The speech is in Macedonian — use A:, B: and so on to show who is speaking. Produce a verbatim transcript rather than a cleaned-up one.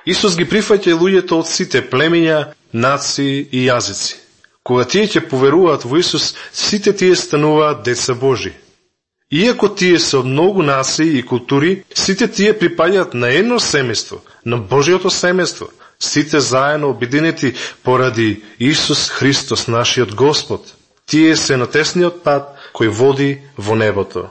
A: Исус ги прифаќа луѓето од сите племиња, нации и јазици. Кога тие ќе поверуваат во Исус, сите тие стануваат деца Божи. Иако тие се од многу нации и култури, сите тие припаѓаат на едно семејство, на Божиото семејство, сите заедно обединети поради Исус Христос, нашиот Господ. Тие се на тесниот пат кој води во небото.